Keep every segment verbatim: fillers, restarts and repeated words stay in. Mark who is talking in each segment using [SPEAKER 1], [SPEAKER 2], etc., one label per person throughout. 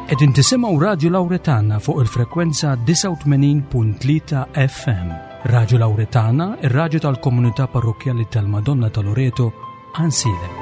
[SPEAKER 1] Qegħdin tisimgħu Radio Lauretana fuq il-frekwenza disgħa u tmenin punt tlieta F M. Radio Lauretana, ir-radju tal-komunità parrokkjali tal-Madonna ta' Loreto, Għajnsielem.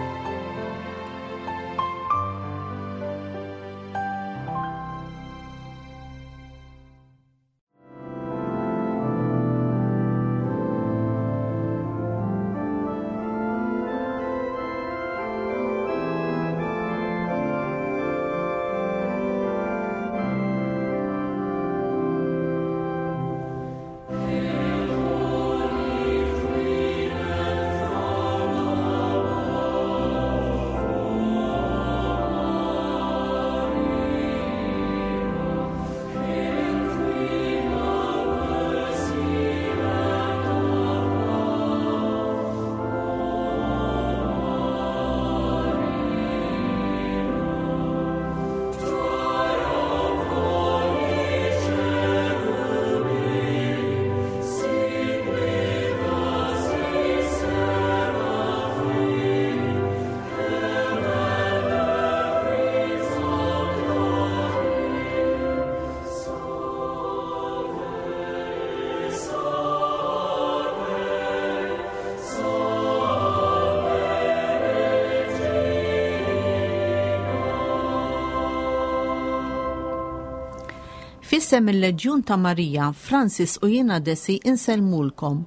[SPEAKER 2] F'isem il-Leġjun ta' Marija, Francis u jiena Desi insellmulkom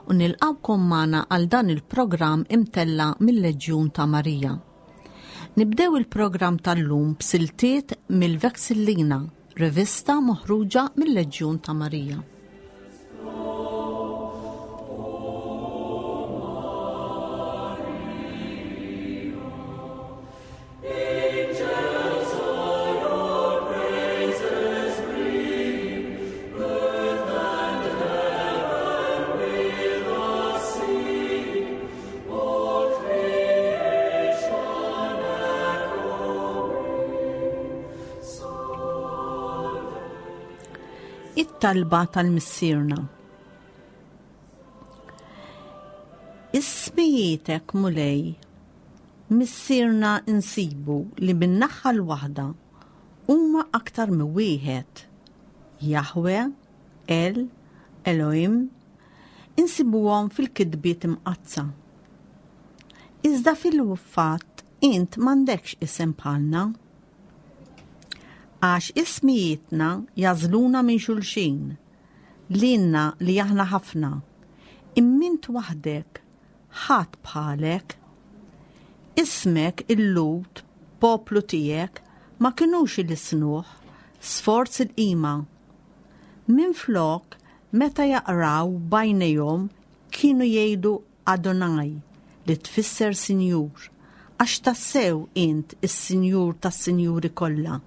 [SPEAKER 2] u nilqawkom magħna għal dan il-programm imtella mill-Leġjun ta' Marija. Nibdew il-programm tal-lum b'siltiet mill-Vexillina, rivista moħruġa mill-Leġjun ta' Marija. It-talba tal-Missierna. Ismijietek, Mulej, Missierna insibu li min-naħa l-waħda huma aktar minn wieħed. Jahwe, El, Elohim, insibuhom fil-kitbiet imqaddsa. Iżda fil-fatt int m'għandekx isem bħalna. Għax ismijietna jażluna minn xulxin, lilna li aħna ħafna, immint waħdek, ħadd bħalek. Ismek il-Lhud, poplu tiegħek, ma kinux ilisnuh, sforz il-qima. Minflok, meta jaqraw bajnejhom kienu jgħidu Adonai, li tfisser Sinjur, għax tassew int is-Sinjur tas-Sinjuri kollha.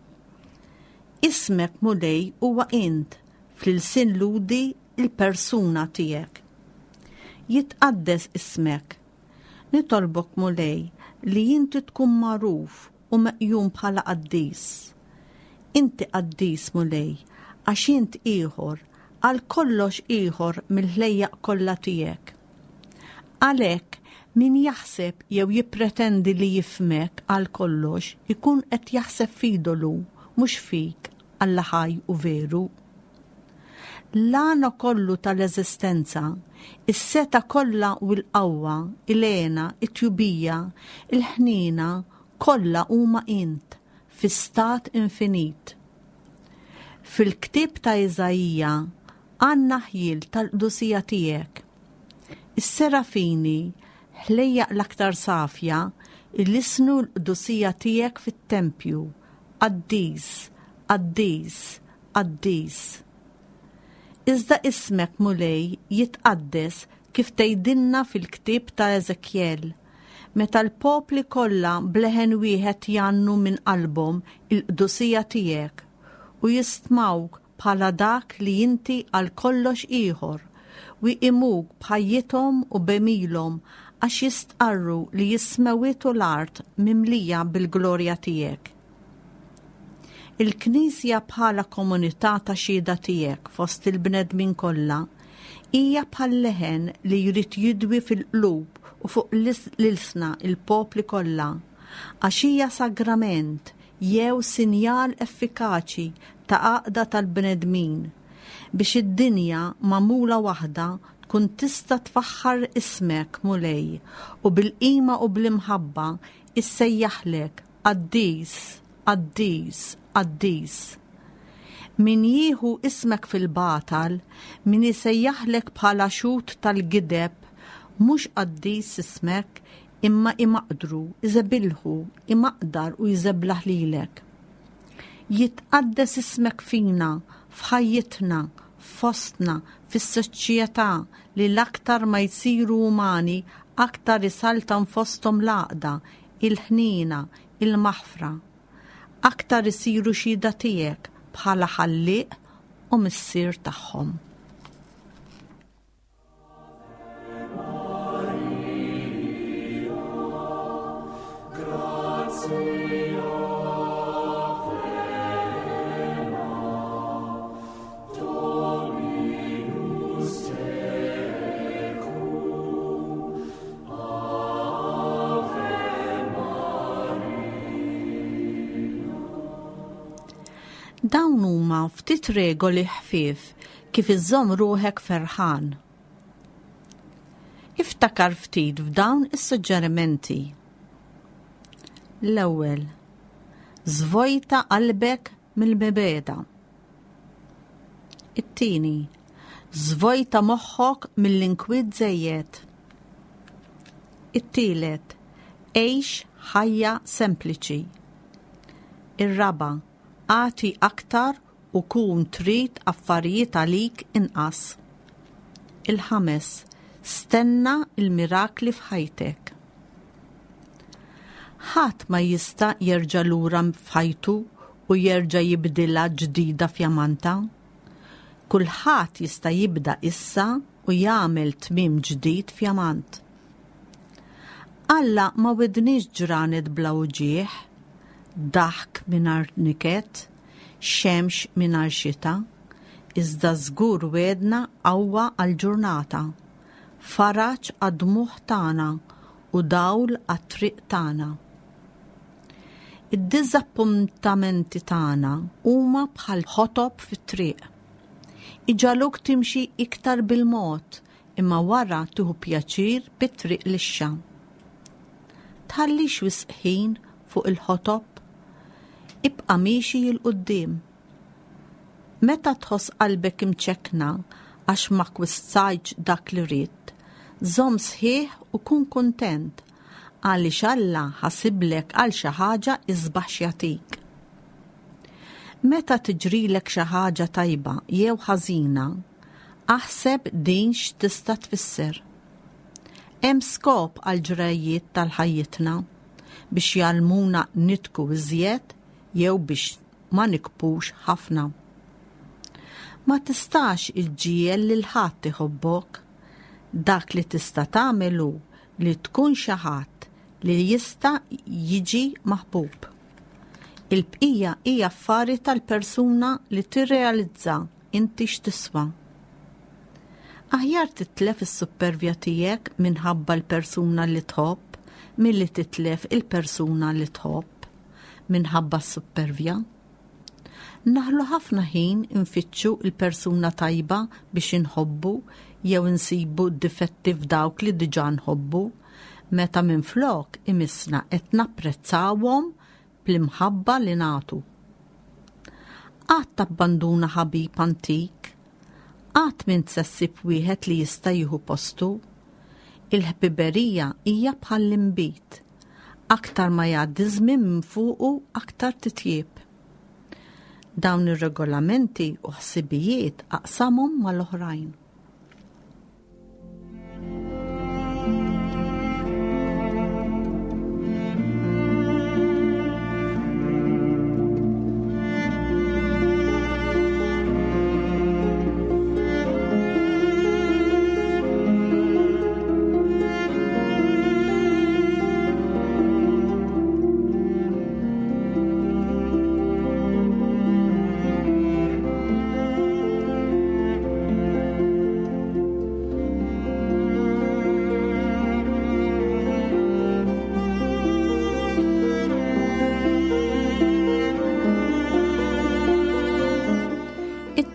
[SPEAKER 2] Ismek Mulej huwa int, fl-ilsien Lhudi il-persuna tiegħek. Jitqaddes ismek. Nitolbok Mulej li inti tkun magħruf u meqjum bħala qaddis. Inti qaddis Mulej, għax int ieħor, għal kollox ieħor mill-ħlejjaq kollha tiegħek. Għalhekk min jaħseb jew jippretendi li jifhmek għal kollox ikun qed jaħseb f'idolu, mhux fik, Alla ħaj u veru. L-għana kollu tal-eżistenza, is-seta kollha u l-qawwa, il-għena, it-tjubija, il-ħnina, kollha huma int, fi stat infinit. Fil-ktieb ta' Iżaija għandna ħjiel tal-qdusija tiegħek. Is-serafini, ħlejjaq l-aktar safja, ilisnu l-qdusija tiegħek fit-tempju, qaddis, qaddis, qaddis. Iżda ismek Mulej jitqaddes kif tgħidilna fil-ktieb ta' Eżekjel, meta l-popli kollha bleħen wieħed jgħannu minn qalbhom il-qdusija tiegħek u jistmawk bħala dak li inti għal kollox ieħor u jqimuk b'ħajjithom u b'għemilhom għax jistqarru li jismewitu l-art mimlija bil-glorja tiegħek. Il-Knisja bħala komunità ta' xhieda tiegħek fost il-bnedmin kollha hija bħal leħen li jrid jidwi fil-qlub u fuq l-ilsna il-popli kollha, għax hija sagrament, jew sinjal effikaċi ta' għaqda tal-bnedmin biex id-dinja magħmula waħda tkun tista' tfaħħar ismek, Mulej, u bil-qima u bl-imħabba issejjaħlek qaddis, qaddis, qaddis. Min jieħu ismek fil-batal, min isejjaħlek bħala xhud tal-gideb, mhux qaddis ismek, imma imaqdru, iżebilħu, imaqdar u jżeblaħ lilek. Jitqaddes ismek fina, f'ħajjitna, fostna, fis-soċjetà li l-aktar ma jsiru umani, aktar isaltan fosthom l-għaqda, il-ħniena, il-maħfra. Aktar isiru xhieda tiegħek bħala ħallieq u missier tagħhom. Dawn huma ftit regoli ħfief kif iżżomm ruħek ferħan. Iftakar ftit f'dawn is-suġġerimenti. L-ewwel, żvojta qalbek mill-mibegħda. It-tieni, żvojta moħħok mill-inkwiet żejjed. It-tielet, għix ħajja sempliċi. Ir-raba', agħti aktar u kun trid affarijiet għalik inqas. Il-ħames, stenna il-mirakli f'ħajtek. Ħadd ma jista' jerġa' lura f'ħajtu u jerġa' jibdilha ġdida fjamanta. Kulħadd jista' jibda issa u jagħmel tmiem ġdid fjamant. Alla ma wedniex ġranet bla uġigħ, daħk mingħajr niket, xemx mingħajr xita, iżda żgur wedna qawwa għall-ġurnata, faraġ għad-dmugħ tagħna u dawl għat-triq tagħna. Id-diżappuntamenti tagħna huma bħal ħotob fit-triq. Iġagħluk timxi iktar bil-mod, imma wara tieħu pjaċir bit-triq lixxa. Tħallix wisq ħin fuq il-ħotob, ibqa' miexi 'l quddiem. Meta tħoss qalbek imċekkna għax ma kwistajtx dak li ridt, żomm sħiħ u kun kuntent għaliex Alla ħasiblek għal xi ħaġa isbaħ x'jagħtik. Meta tiġrilek xi ħaġa tajba jew ħażina, aħseb din x'tista' tfisser. Hemm skop għal ġrajiet tal-ħajjitna biex jgħallmuna nitku iżjed jew biex ma nikbux ħafna. Ma tistax iġġiegħel lil ħadd iħobbok. Dak li tista' tagħmel hu li tkun xi ħadd li jista' jiġi maħbub. Il-bqija hija affari tal-persuna li tirrealizza inti x'tiswa. Aħjar titlef is-suppervja tiegħek minħabba l-persuna li tħobb milli titlef il-persuna li tħobb minħabba s-suppervja. Naħlu ħafna ħin infittxu il-persuna tajba biex inħobbu jew insibu difetti f'dawk li diġà nħobbu, meta minflok imissna qed napprezzawhom bl-imħabba li nagħtu. Qatt tabbanduna ħabib antik, qatt m'int se ssib wieħed li jista' jieħu postu. Il-ħbiberija hija bħall-inbid. Aktar ma jgħaddi żmien minn fuqu aktar titjieb. Dawn ir-regolamenti u ħsibijiet aqsamhom mal-oħrajn.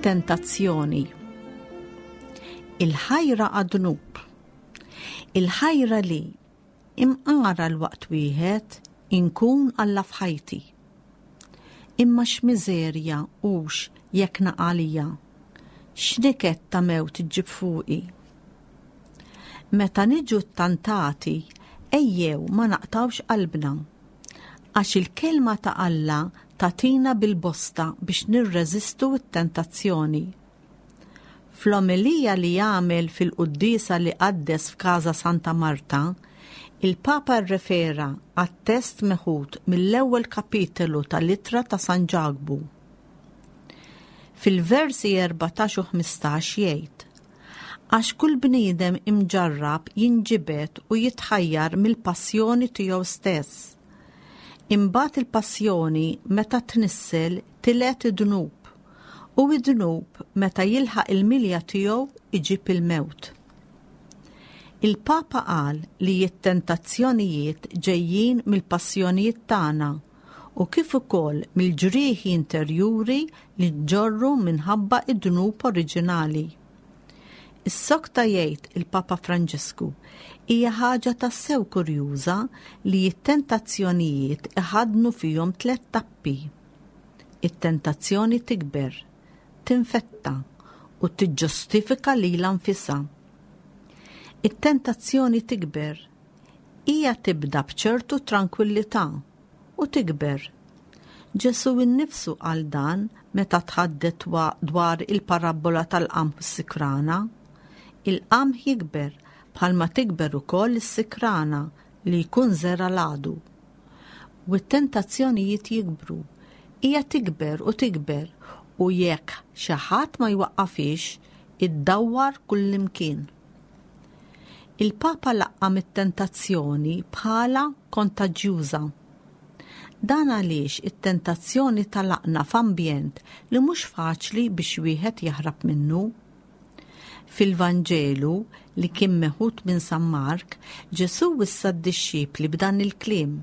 [SPEAKER 2] It-tentazzjoni. Il-ħajra għad-dnub. Il-ħajra li imqara l-waqt wieħed inkun Alla f'ħajti. Imma x'miżerja hux jekk naqalija. X'niket ta' mewt iġġib fuqi. Meta niġu ttantati, ejjew ma naqtawx qalbna. Għax il-kelma ta' Alla tagħtina bil-bosta biex nirreżistu t-tentazzjoni. Fl-omelija li jagħmel fil-quddiesa li qaddes f'Każa Santa Marta, il-Papa rrefera għat-test meħud mill-ewwel kapitolu tal-Ittra ta' San Ġakbu. Fil-versi erbatax u ħmistax jgħid: Għax kull bniedem imġarrab jinġibed u jitħajjar mill-passjoni tiegħu stess. Imbagħad il-passjoni meta tnissel tiled id-dnub, u id-dnub meta jilħaq il-milja tiegħu iġib il-mewt. Il-Papa qal li t-tentazzjonijiet ġejjin mill-passjonijiet tagħna u kif ukoll mill-ġrieħi interjuri li nġorru minħabba id-dnub oriġinali. Is-sokta jgħid il-Papa Franġisku hija ħaġa tassew kurjuża li t-tentazzjonijiet iħaddnu fihom tliet tappi. It-tentazzjoni tikber, tinfetta u tiġġustifika lilha nfisha. It-tentazzjoni tikber, hija tibda b'ċertu tranquillità u tikber. Ġesù innifsu qal dan meta tħaddet dwar il-parabbola tal-qamħ u s-sikrana. Il-qamħ jikber bħalma tikber ukoll is-sikrana li jkun żera l-għadu. U t-tentazzjonijiet jikbru, hija tikber u tikber u jekk xi ħadd ma jwaqqafix, iddawwar kullimkien. Il-Papa laqqam it-tentazzjoni bħala kontaġjuża. Dan għaliex it-tentazzjoni talaqna f'ambjent li mhux faċli biex wieħed jaħrab minnu. Fil-Vanġelu li kien meħud minn San Mark, Ġesù wissa d-dixxipli b'dan il-kliem: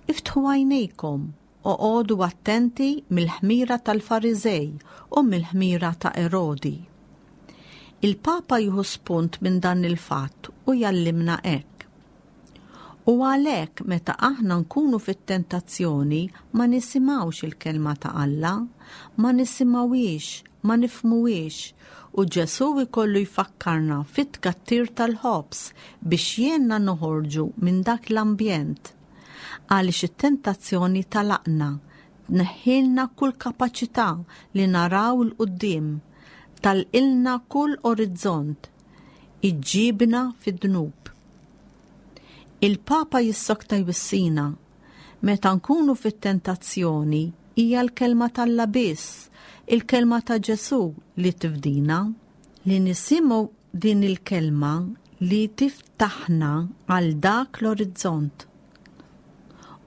[SPEAKER 2] Iftħu għajnejkom, oqogħdu attenti mill-ħmira tal-Fariżej u mill-ħmira ta' Erodi. Il-Papa jieħu spunt minn dan il-fatt u jallimna hekk. U għalhekk meta aħna nkunu fit-tentazzjoni ma nisimgħux il-kelma ta' Alla, ma nisimgħuhiex, ma nifhmuhiex, u Ġesù jkollu jfakkarna fit-tkattir tal-ħobż biex jgħinna noħorġu minn dak l-ambjent. Għaliex it-tentazzjoni talaqna, tneħħilna kull kapaċità li naraw 'il quddiem, talqilna kull orizzont, iġġibna fid-dnub. Il-Papa jissokta jwissina, meta nkunu fit-tentazzjoni hija l-kelma t'Alla biss, il-kelma ta' Ġesù li tifdina, li nisimgħu din il-kelma li tiftaħna għal dak l-orizzont.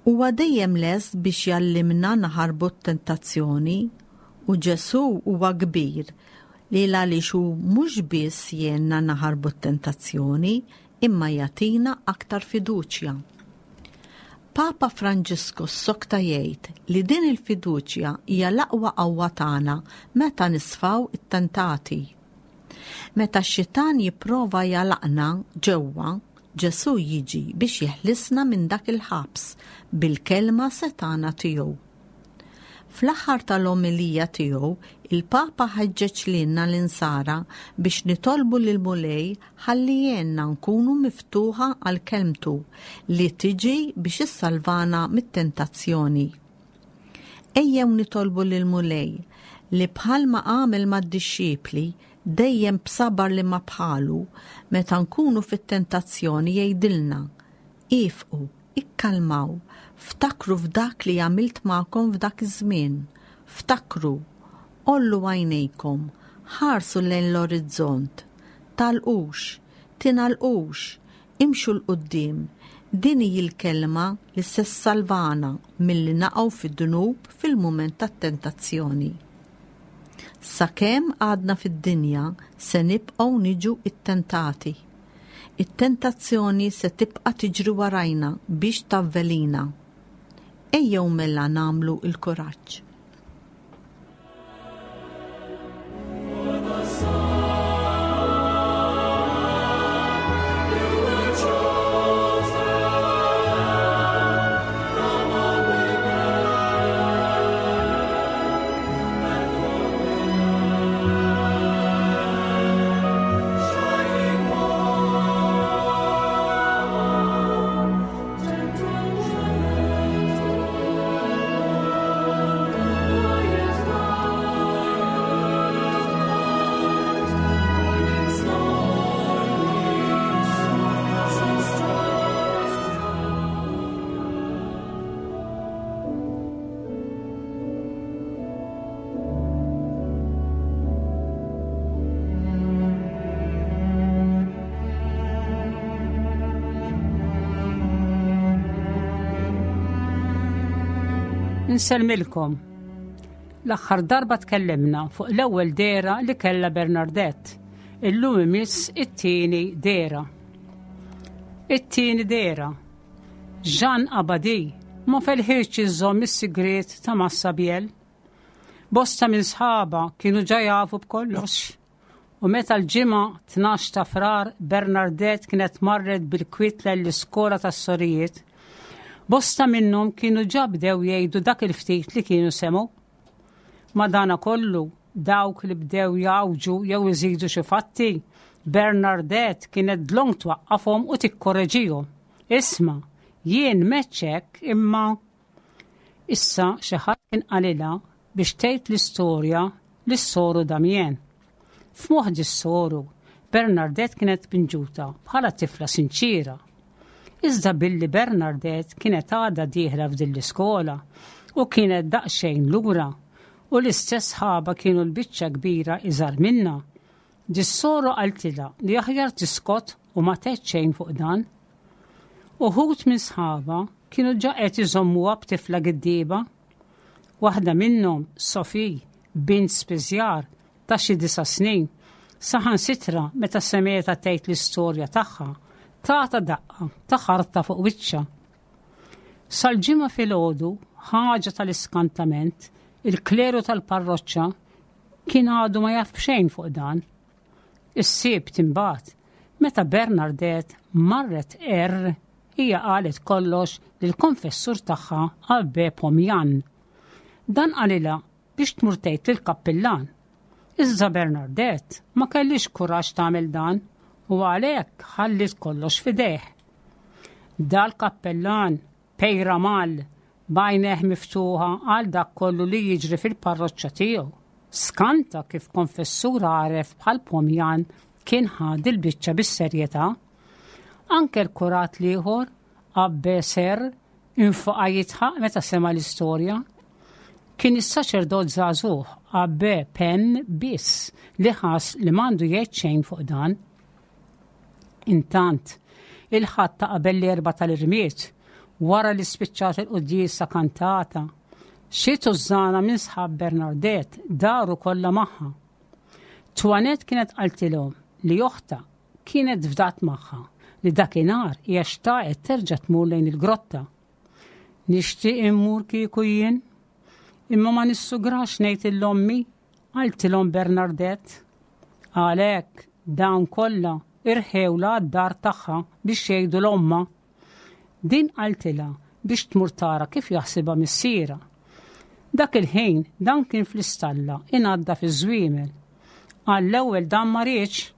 [SPEAKER 2] Huwa dejjem lest biex jallimna naħarbu t-tentazzjoni u Ġesù huwa kbir li għaliex hu mhux biss jgħinna naħarbu t-tentazzjoni imma jagħtina aktar fiduċja. Papa Franġisku ssokta jgħid li din il-fiduċja hija l-aqwa qawwa tagħna meta nisfaw it-tentati. Meta x-xitan jipprova jalaqna ġewwa, Ġesù jiġi biex jeħlisna minn dak il-ħabs bil-kelma setana tiegħu. Fl-aħħar tal-omelija tiegħu, il-Papa ħeġġeġ lilna l-insara biex nitolbu lil Mulej ħalli jgħinna nkunu miftuħa għal kelmtu li tiġi biex issalvana mit-tentazzjoni. Ejjew nitolbu lil Mulej li bħalma għamel mad-dixxipli dejjem b'sabar li ma bħalu, meta nkunu fit-tentazzjoni jgħidilna: Ifqu, ikkalmaw, ftakru f'dak li għamilt magħkom f'dak iż-żmien, ftakru, għollu għajnejkom, ħarsu lejn l-orizzont, talqux, tingħalqux, imxu 'l quddiem. Din hi l-kelma li se ssalvana milli naqgħu fid-dnub fil-mument tat-tentazzjoni. Sakemm għadna fid-dinja se nibqgħu niġu ttentati. It-tentazzjoni se tibqa' tiġri warajna biex tavvelina. Ejjew mela nagħmlu l-kuraġġ.
[SPEAKER 3] Insellmilkom. L-aħħar darba tkellimna fuq l-ewwel dehra li kellha Bernardette. Illum imiss it-tieni dehra. It-tieni dehra. Jean Abadie ma felħitx iżomm is-sigriet ta' Massabielle. Bosta minn sħabha kienu ġa jafu b'kollox. U meta l-Ġimgħa tnax ta' Frar Bernardette kienet marret bil-kwiet l-iskola tas-sorijiet, bosta minnhom kienu ġa bdew jgħidu dak il-ftit li kienu semgħu. Madana kollu dawk li bdew jgħawġu jew iżidu xi fatti, Bernardette kienet dlonk twaqqafhom u tikkoreġihom. Isma', jien meċċek imma issa xi ħadd kien qalilha biex tgħid l-istorja lis-soru Damien. F'moħħ is-soru, Bernardette kienet pinġuta bħala tifla sinċira. Iżda billi Bernardette kienet għadha dieħla f'din l-iskola u kienet daqsxejn lura u l-istess sħabha kienu l-biċċa kbira iżgħar minnha. Dis-soru qaltilha li aħjar tiskot u ma tgħid xejn fuq dan. Uħud minn sħabha kienu ġa qed iżommuha b'tifla giddieba. Waħda minnhom, Sophie, bint spiżjar ta' xi disa' snin, saħansitra meta semgħetha tgħid l-istorja tagħha, tatha daqqa ta' ħarta fuq wiċċha. Sal-Ġimgħa filgħodu, ħaġa tal-iskantament, il-kleru tal-parroċċa kien għadu ma jaf b'xejn fuq dan. Is-Sibt imbagħad, meta Bernardette marret er, hija qalet kollox lill-konfessur tagħha Abbé Pomjan. Dan qalilha biex tmur tgħid lill-kappillan. Iżda Bernardette ma kellhiex kuraġġ tagħmel dan u għalhekk ħallit kollox f'idejh. Dal-kappellan Peyramale b'għajnejh miftuħa għal dak kollu li jiġri fil-parroċċa tiegħu. Skanta kif konfessur għaref bħal Pomjan kien ħa dil-biċċa bis-serjetà. Anke l-kurat l-ieħor, Abbé Serre, infaqa' jidħaq meta sema l-istorja. Kien is-saċerdot żagħżugħ Abbé Penne biss li ħass li m'għandu jgħid xejn fuq dan. Intant, il-Ħadd ta' qabel l-Erbgħa tal-Irmied, wara li spiċċat il-quddiesa kantata, xi tużżana minn sħab Bernardette daru kollha magħha. Toinette kienet qaltilhom li oħtha kienet fdat magħha li dakinhar hija xtaqet terġa' tmur lejn il-grotta. Nixtieq immur kieku jien, imma ma nissugrax ngħid lil ommi, qaltilhom Bernardette. Għalhekk dawn kollha irħewla d-dar tagħha biex jgħidu 'l ommha. Din qaltilha biex tmur tara kif jaħsibha missierha. Dak il-ħin dan kien fl-istalla inaddaf iż-żwiemel. Għall-ewwel dan ma riedx,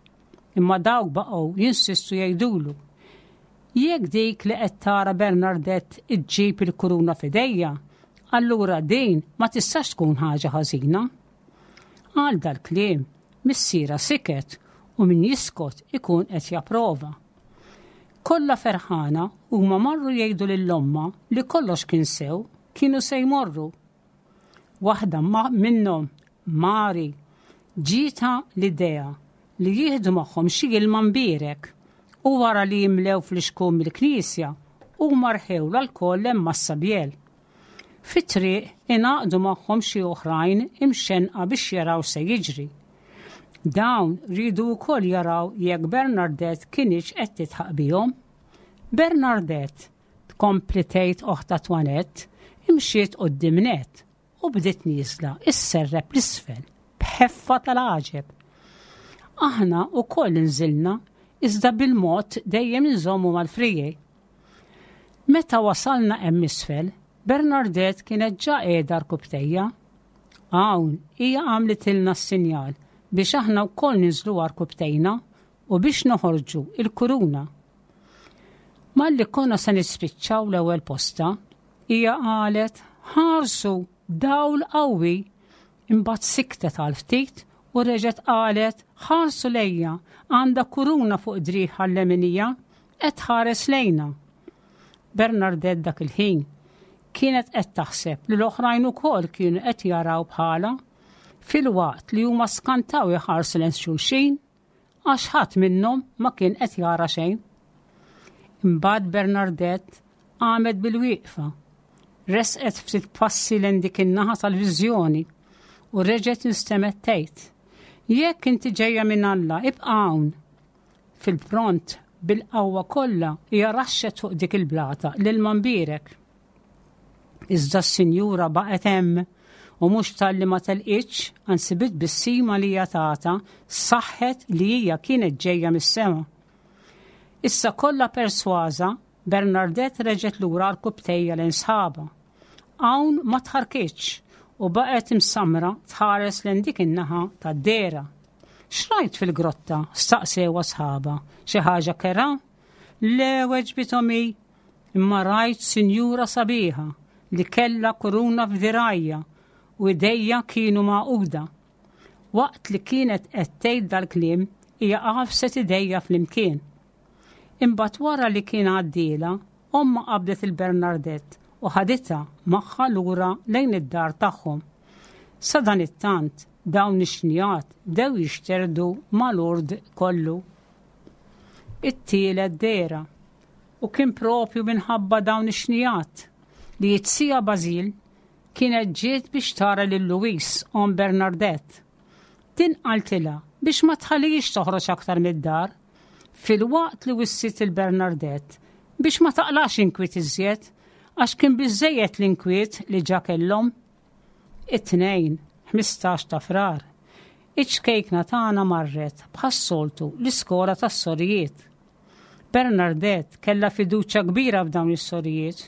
[SPEAKER 3] imma dawk baqgħu jinsistu jgħidulu. Jekk dik li qed tara Bernardette iġġib il-kuruna f'idejha, allura din ma tistax tkun ħaġa ħażina. Għal dal-kliem, missierha siket u min jiskot ikun qed japprova. Kollha ferħana huma marru jgħidu lil ommha li kollox kien sew, kienu se jmorru. Waħda minnhom, Mari, ġietha l-idea li jieħdu magħhom xi ilma mbierek u wara li jimlew fl-ixkun mill-knisja huma rħewla lkoll hemm Massabielle. Fit-triq ingħaqdu magħhom xi oħrajn imxenqa biex jaraw se jiġri. Dawn riedu wkoll jaraw jekk Bernardette kinitx qed tidħaq bihom. Bernardette, tkompli tgħid oħtha Toinette, imxiet quddiem nett u bdiet nieżla isserrep 'l isfel b'ħeffa tal-għaġeb. Aħna wkoll inżilna iżda bil-mod dejjem inżommu mal-friegħi. Meta wasalna hemm isfel, Bernardette kienet ġa qiegħda għarkupptejha. Hawn hija għamlitilna s-sinjal biex aħna wkoll ninżlu għarkupptejna u biex noħorġu il-kuruna. Malli konna se nispiċċaw l-ewwel posta, hija qalet ħarsu dawl qawwi, imbagħad siktet għal ftit u reġgħet qalet ħarsu lejja għandha kuruna fuq driegħha l-leminija qed tħares lejna. Bernardette dak il-ħin kienet qed taħseb li l-oħrajn ukoll kienu qed jaraw bħala filwaqt li huma skantaw iħarsu lejn xulxin għax ħadd minnhom ma kien qed jara xejn. Imbagħad Bernardette qamet bil-wieqfa, Resqet ftit passi lejn dik in-naħa tal-viżjoni u reġgħet instemgħet tgħid: "Jekk inti ġejja minn Alla, ibqa' hawn." Fil-pront, bil-qawwa kollha, hija raxxet fuq dik il-blata l-ilma mbierek. Iżda s-sinjura baqgħet hemm u mhux talli ma telqitx, anzi bit-tbissima li hija tata saħħet li hija kienet ġejja mis-sema. Issa kollha persważa, Bernadette reġgħet lura għarkupptejha lejn sħabha. Hawn ma tħarrkitx u baqgħet imsamra tħares lejn dik in-naħa tad-dehra. "X'rajt fil-grotta?" staqsewha sħabha. "Xi ħaġa kerha?" "Le," weġbithom hi, "imma rajt sinjura sabiħa li kella kuruna f'dirgħajha u idejha kienu magħquda." Waqt li kienet qed tgħid dal-kliem, hija għafset idejha flimkien. Imbagħad wara li kien għaddiela, ommha qabdet lil Bernadette u ħaditha magħha lura lejn id-dar tagħhom. Sadanittant dawn ix-xnijat bdew jixterdu ma' Lourdes kollu. It-tielet dehra. U kien propju minħabba dawn ix-xnijat li iz-zija Basil kienet ġiet biex tara lil Louise, omm Bernadette. Din qaltilha biex ma tħallix toħroġ aktar mid-dar, filwaqt li wissiet lil Bernadette biex ma taqlax inkwiet iżjed, għax kien biżejjed l-inkwiet li ġa kellhom. It-Tnejn, ħmistax ta' Frar, iċ-ċkejkna tagħna marret bħas-soltu l-iskola tas-sorijiet. Bernadette kella fiduċja kbira f'dawn is-sorijiet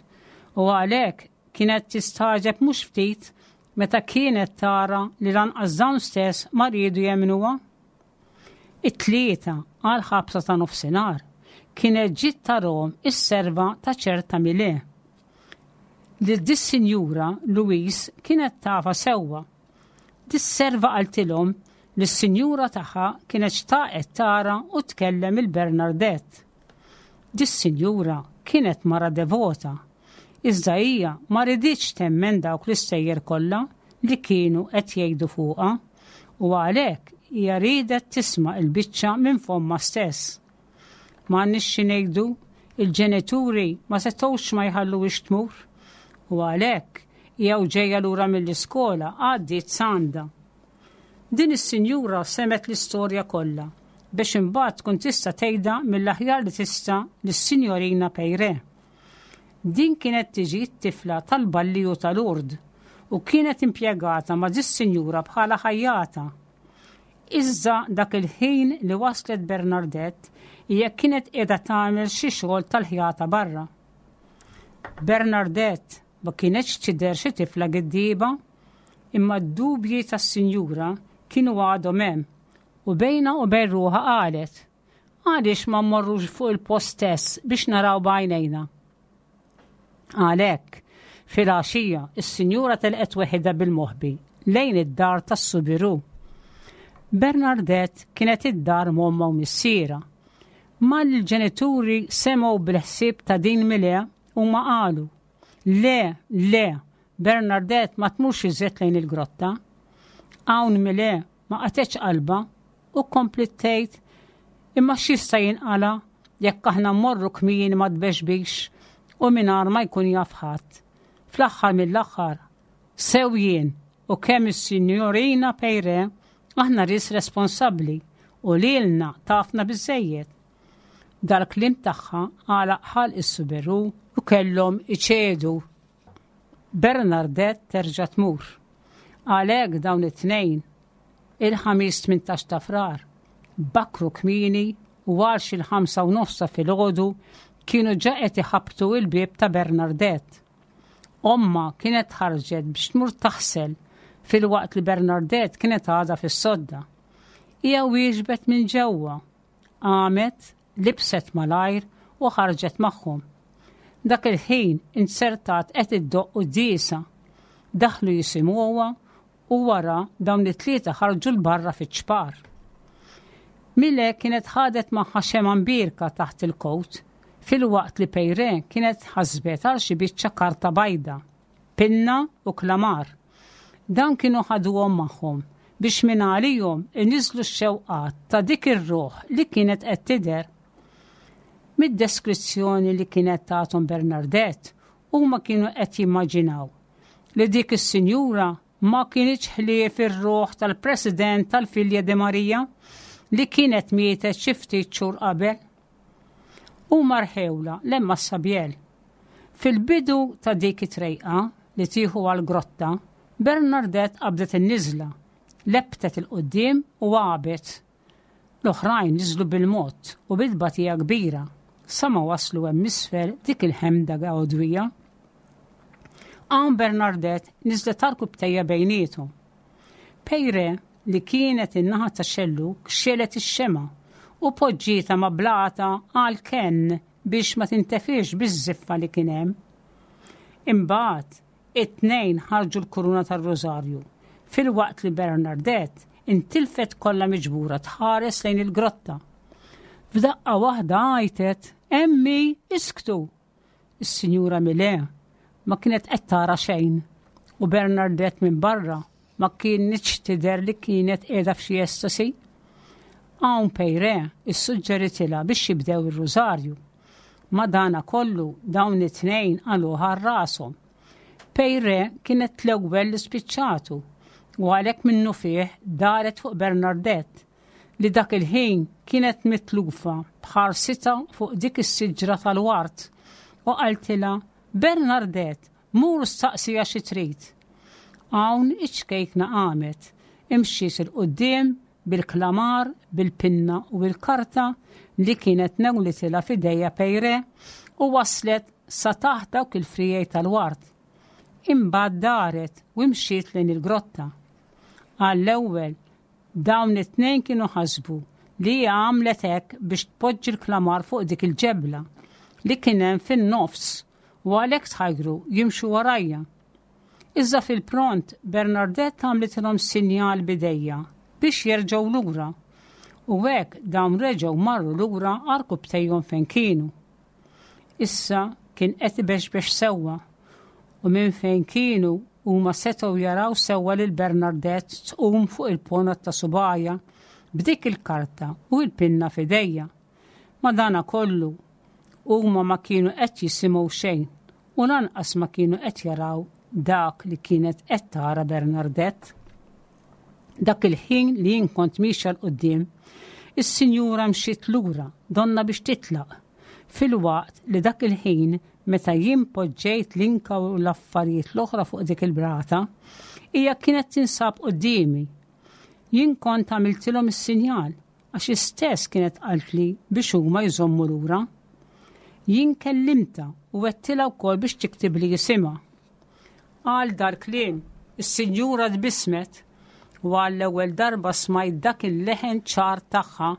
[SPEAKER 3] u għalhekk kienet tistagħġeb mhux ftit meta kienet tara li lanqas dawn stess ma riedu jemnuha. It-Tlieta għal ħabta ta' nofsinhar kienet ġiet tarahom is-serva ta' ċerta Mile. Li dis-sinjura Louise kienet tafha sewwa. Dis-serva qaltilhom li s-sinjura tagħha kienet xtaqet tara u tkellem lil Bernadette. Dis-sinjura kienet mara devota, iżda hija ma riditx temmen dawk l-istejjer kollha li kienu qed jgħidu fuqha u għalhekk hija riedet tisma' il-biċċa minn fommha stess. Ma nix ngħidu, il-ġenituri ma setgħux ma jħalluhiex tmur u għalhekk hija u ġejja lura mill-iskola għaddiet s'għandha. Din is-sinjura semgħet l-istorja kollha biex imbagħad tkun tista' tgħidha mill-aħjar li tista' lis-Sinjorina Peyre. Din kienet tiġi t-tifla tal-balliju ta' Lourdes u kienet impjegata ma' dis-sinjura bħala ħajjata. Iżda dak il-ħin li waslet Bernadette, hija kienet qiegħda tagħmel xi xogħol tal-ħjata barra. Bernadette ma kienetx tidher xi tifla giddiba, imma d-dubji tas-sinjura kienu għadhom hemm u bejnha u bejn ruħha qalet: "Għaliex ma mmorrux fuq il-post stess biex naraw b'għajnejna?" Għalhekk, fil-għaxija, is-sinjura telqet weħidha bil-moħbi lejn id-dar tas-Soubirous. Bernadette kienet id-dar m'ommha u missierha. Malli l-ġenituri semgħu bil-ħsieb ta' din Mile, huma qalu: "Le, le, Bernadette ma tmurx iżjed lejn il-grotta." Hawn Mile ma qatgħetx qalbha u kompliet tgħid: "Imma x'jista' jinqala jekk aħna mmorru kmieni mat-tbexbix u mingħajr ma jkun jaf ħadd? Fl-aħħar mill-aħħar, sew jien u kemm is-Sinjorina Peyre aħna nies responsabbli u lilna tafna biżejjed." Dal-kliem tagħha għalaq ħalq is-Soubirous u kellhom iċedu. Bernadette terġa' tmur. Għalhekk dawn it-Tnejn, il-Ħamis tmintax ta' Frar, bakru kmieni u għal xi l-ħamsa u nofs ta' filgħodu kienu ġa qed iħabtu il-bieb ta' Bernadette. Ommha kienet ħarġet biex tmur taħsel filwaqt li Bernadette kienet għadha fis-sodda. Hija wieġbet minn ġewwa, qamet, libset malajr u ħarġet magħhom. Dak il-ħin inzertat qed iddoqq quddiesa. Daħlu jisimgħuha u wara dawn it-tlieta ħarġu 'l barra fiċ-ċpar. Mile kienet ħadet magħha xemgħa mbierka taħt il-kowt, filwaqt li Peyre kienet ħasbet għal xi biċċa karta bajda, pinna u klamar. Dan kienu ħaduhom magħhom biex minn għalihom iniżlu x-xewqat ta' dik ir-ruħ li kienet qed tidher. Mid-deskrizzjoni li kienet tagħhom Bernadette, Huma kienu qed jimmaġinaw li dik is-sinjura ma kinitx ħlief ir-ruħ tal-President tal-Filja de Maria li kienet mietet xi ftit xhur qabel. Huma rħewla 'l hemm Massabielle. Fil-bidu ta' dik it-trejqa li tieħu għal-grotta, Bernadette qabdet in-niżla, lebbtet 'il quddiem u għabet. L-oħrajn niżlu bil-mod u bil-batija kbira, sa ma waslu hemm isfel dik il-ħemda għodwija. Hawn Bernadette niżlet għarkupptejha bejniethom. Peyre li kienet in-naħa ta' xellug xegħlet ix-xemgħa u poġġietha ma' blata għal kenn biex ma tintefiex biż-żiffa li kien hemm. Imbagħad it-tnejn ħarġu l-kuruna tar-Rożarju filwaqt li Bernadette intilfet kollha miġbura tħares lejn il-grotta. F'daqqa waħda għajtet, "Emmi, isktu!" Is-Sinjura Millet ma kienet qed tara xejn u Bernadette minn barra ma kienx tidher li kienet qiegħda f'xi estasi. Hawn Peyre issuġġeritilha biex jibdew ir-rużarju. Madana kollu dawn it-tnejn qaluha rashom. Peyre kienet l-ewwel li spiċċatu u għalhekk minnufih daret fuq Bernadette li dak il-ħin kienet mitlufa b'ħarsitha fuq dik is-siġra tal-wart u qaltilha Bernadette, mur staqsiha xi trid. Hawn iċ-ċkejkna qamet, imxiet 'il quddiem bil-klamar, bil-pinna u bil-karta li kienet newlitilha f'idejha Peyre u waslet sa taħt dawk il-friegħi tal-wart. Imbagħad daret u imxiet lejn il-grotta. Għall-ewwel dawn it-tnejn kienu ħasbu li hija għamlet hekk biex tpoġġi l-klamar fuq dik il-ġebla li kien hemm fin-nofs u għalhekk tħajru jimxu warajja. Iżda fil-pront Bernadette għamlitilhom sinjal b'idejha biex jerġgħu lura u hekk dawn reġgħu marru lura għarkupptejhom fejn kienu. Issa kien qed ibexbex sewwa u minn fejn kienu huma setgħu jaraw sewwa lil Bernadette tqum fuq il-ponot ta' subgħajha b'dik il-karta u l-pinna f'idejha. Madana kollu huma ma kienu qed jisimgħu xejn u lanqas ma kienu qed jaraw dak li kienet qed tara Bernadette. Dak il-ħin li jien kont miexja 'l quddiem, is-sinjura mxiet lura donna biex titlaq. Filwaqt li dak il-ħin meta jien poġġejt l-inka u l-affarijiet l-oħra fuq dik il-brata, hija kienet tinsab quddiemi. Jien kont għamiltilhom is-sinjal għax istess kienet qaltli biex huma jżommu lura. Jien kellimtha u għedtilha wkoll biex tiktibli isimha. Għal dal-kliem, is-sinjura tbissmet u għall-ewwel darba smajt dak il-leħen ċar tagħha.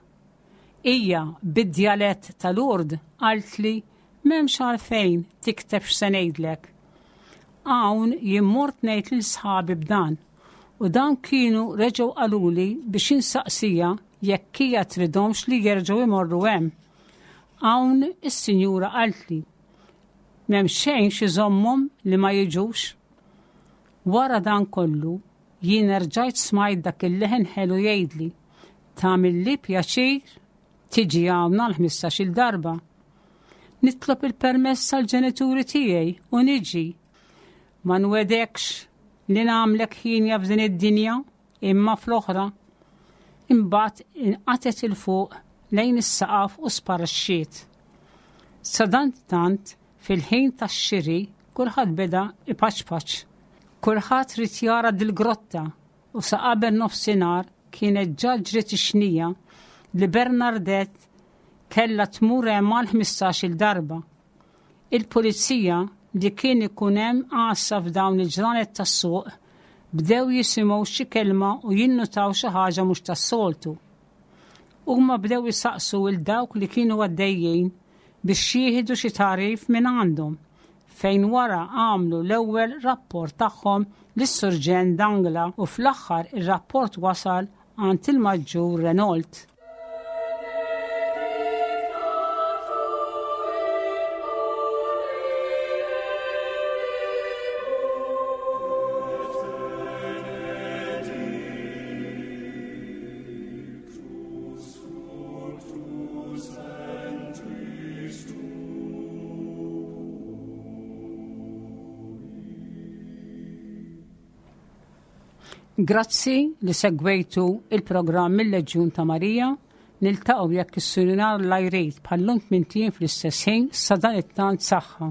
[SPEAKER 3] Hija bid-djalett ta' Lourdes qaltli m'hemmx għalfejn tikteb x'se ngħidlek. Hawn jien mort ngħid lil sħabi b'dan u dawn kienu reġgħu qaluli biex insaqsiha jekk hija tridhomx li jerġgħu imorru hemm. Hawn is-sinjura qaltli m'hemm xejn x'iżommhom li ma jiġux. Wara dan kollu jien erġajt smajt dak il-leħen ħelu jgħidli tagħmilli pjaċir tiġi hawn għal ħmistax-il darba. Nitlob il-permess tal-ġenituri tiegħi u niġi. Ma nwegħdekx li nagħmlek ħienja f'din id-dinja imma fl-oħra. Imbagħad inqatgħet 'il fuq lejn is-saqaf u sparixxiet. Sadanittant fil-ħin tax-xiri kulħadd beda ipaċpaċ. Kulħadd ried jara dil-grotta u sa qabel nofsinhar kienet ġa ġriet ix-xnija li Bernadette kella tmur hemm għal ħmistax-il darba. Il-pulizija li kien ikun hemm għassa f'dawn il-ġranet tas-suq bdew jisimgħu xi kelma u jinnutaw xi ħaġa mhux tas-soltu. Huma bdew isaqsu 'l dawk li kienu għaddejjin biex jieħdu xi tagħrif minn għandhom fejn wara għamlu l-ewwel rapport tagħhom lis-Surġent Dangla u fl-aħħar ir-rapport wasal għand il-Maġġur Renault. Grazzi li segwejtu il-programm mill-Leġjun ta' Marija. Niltaqgħu jekk is-Sinjur Alla jrid bħal-lum tmint ijiem fl-istess ħin. Sadanittant, saħħa.